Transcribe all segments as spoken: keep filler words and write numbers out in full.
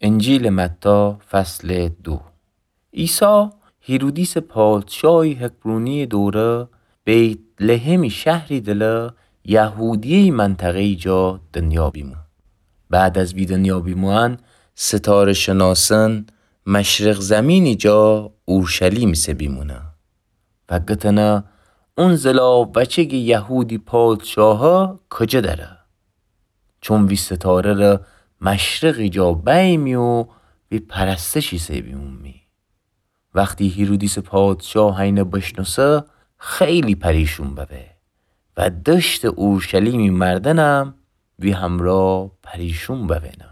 انجیلٚ متی، فصلٚ دو. عیسی هیرودیسٚ پادشاهی حکمرونییٚ دوره بیت‌لحمی شهری دله یهودیه‌یی منطقه‌یی جا دنیا بیمو. بعد از وی دنیا بیموئن، ستاره‌شناسأن مشرق زمینی جا اورشلیمی سه بیمونه و گتنه اون زلاق وچه گی یهودی پادشاهه کجه دره. چون وی ستاره ره مشرقی جا بیمی و وی پرستشی سه بیمومی. وختی هیرودیسٚ پادشاه هینه بشنوسه، خیلی پریشون ببه و دشتٚ اورشلیمی مردنم وی همرأ پریشون بوینه.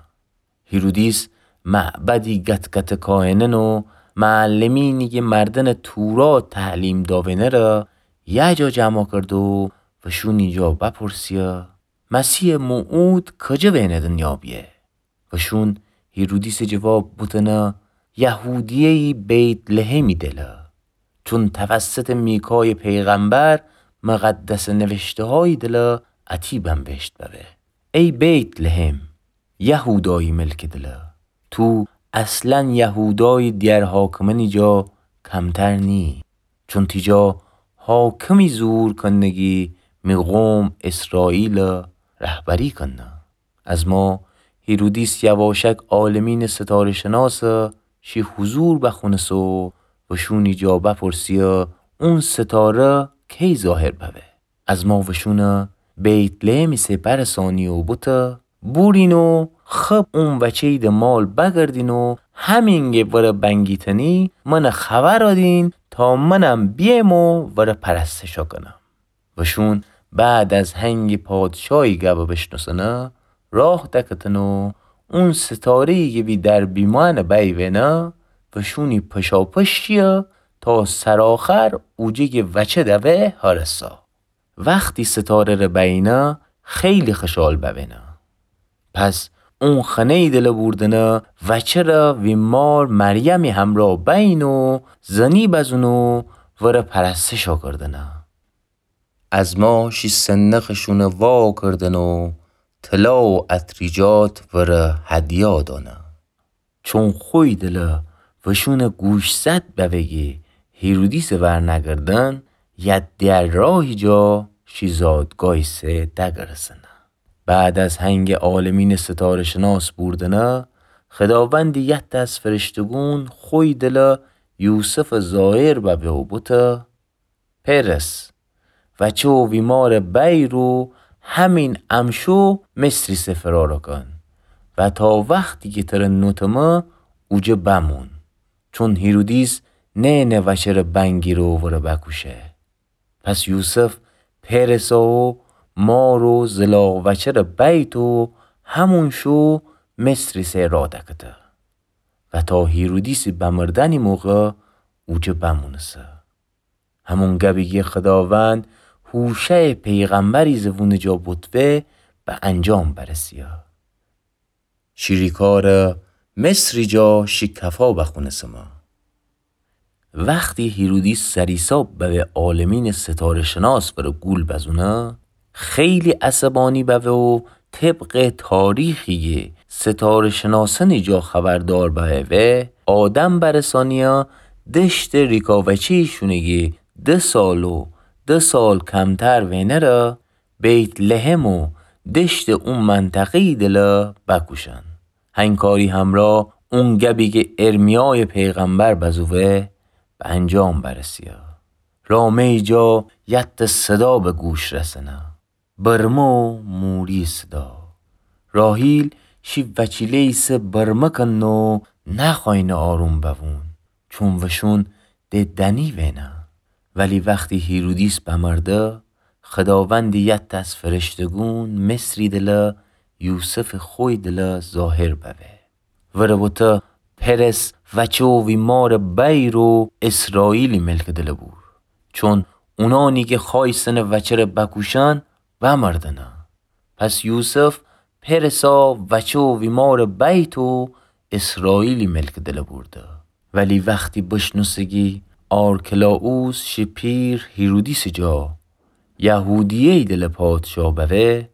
هیرودیس معبدی گت‌گته کاهنأن و معلمینی کی مردنٚ تورات تعلیم داوینه ره یه جا جمع کرده و وشونی جا بپرسیه: مسیحٚ موعود کجه وینه دنیا بیه؟ وشون هیرودیسٚ جواب بوتنه: یهودیه‌یی بیت‌لحمی دله، چون توسطٚ میکایٚ پیغمبر مقدسٚ نوشته‌هایی دله اتی بنوشت ببه: ای بیت‌لحم، یهودایی ملکٚ دله، تو اصلاً یهودایٚ دیگر حاکمأنی جا کمتر نیی، چون تی جا حاکمی ظهور کنه گی می قوم اسرائیل رهبری کنه. ازما هیرودیس یواشک عالمینٚ ستاره‌شناسٚ شی حضور بخونسه و وشونی جا بپرسیه اون ستاره کی ظاهر ببه. ازما وشون بیت‌لحمی سه برسانی و بوته: بورین و خب اون وچه‌یی ده مال بگردین و همینگه وره بنگیتنی منه خبر دین تا منم بیم و وره پرستش کنم. وشون بعد از هنگی پادشاهی گبه بشنوسنه، راه دکتن و اون ستاره‌یی کی وی در بیموئن بیونه، وشونی پشاپش شیه تا سرآخر اوجه گی وچه دوه هرسه. وختی ستاره ره بیینه، خیلی خوشحال بوینه. پس اون خانه‌یی دله بوردنه وچه ره وی مار مریمی همرأ بیین و زنی بزون و وره پرستش کردنه. ازما شی صندوقٚ شونه وا کردن و طلا و عطریجات وره هدیه دانه. چون خوی دله وشون گوشزد بوه گی هیرودیسٚ ورنگردن، یه دیگر راهی جا شی زادگاهی سه دگرسنه. بعد از هنگی عالمینٚ ستاره‌شناس بوردنه، خداوندی یه دس فرشته‌گون خوی دله یوسفٚ ظاهر ببه و بوته: پئرس، وچه و وی مار بیر و همین امشو مصری سه فرار کن و تا وختی کی تره نوتمه اوجه بمون، چون هیرودیس نئنه وچه ره بنگیره و وره بکوشه. پس یوسف پئرسا و مار و زلاق وچه ره بیت و همون شو مصری سه راه دکته و تا هیرودیسی بمردنی موقع اوجه بمونسه. همون گبی کی خداوند هوشعٚ پیغمبری زبونٚ جا بوتوه به انجام برسیه: شی ریکا ره مصری جا شی کفا بخونسمه. وختی هیرودیس سریساب بوه عالمینٚ ستاره‌شناس وره گول بزونه، خیلی عصبانی بوه و طبقٚ تاریخی کی ستاره‌شناسأنی جا خبردار بوه، آدم برسانیه دشتٚ ریکا وچه‌یی شونه کی ده سال و ده سال کمتر وینه ره بیت‌لحم و دشتٚ او منطقه‌یی دله بکوشن. هنکاری همرا اون گبی کی ارمیایٚ پیغمبر بزووه به انجام برسیه. رامه‌یی جا یت صدا به گوش رسنه: برمه و موری صدا. راحیل شی وچیله‌یی سه برمه کنه و نخواینه آروم بوون، چون وشون ده دنی وینه. ولی وختی هیرودیس بمرده، خداوندی یت از فرشته‌گون مصری دله یوسفٚ خوی دله ظاهر بوه. وره بوته: پرس وچه و وی مار بیر و اسرائیلی ملکٚ دله بور، چون اونانی کی خوایستنه وچه ره بکوشن، بمردنه. پس یوسف پرسا وچه و وی مار بیت و اسرائیلی ملکٚ دله بورده. ولی وختی بشنوسه کی آرکلائوس شی پیر هیرودیسٚ جا یهودیه‌یی دله پادشا بوه،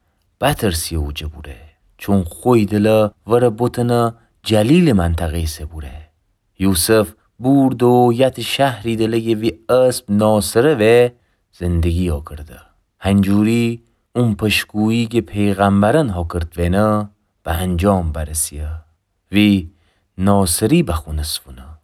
بترسیه اوجه بوره، چون خوی دله وره بوتنه جلیلٚ منطقه‌یٚ سه بوره. یوسف بوردو یتٚ شهری دله‌یٚ وی اسب ناصره وأ زندگی اوکرده. هنجوری اون پشکویی کی پیغمبرأن هوکرت وینه به انجام برسیه. وی ناصری بخونس فونه.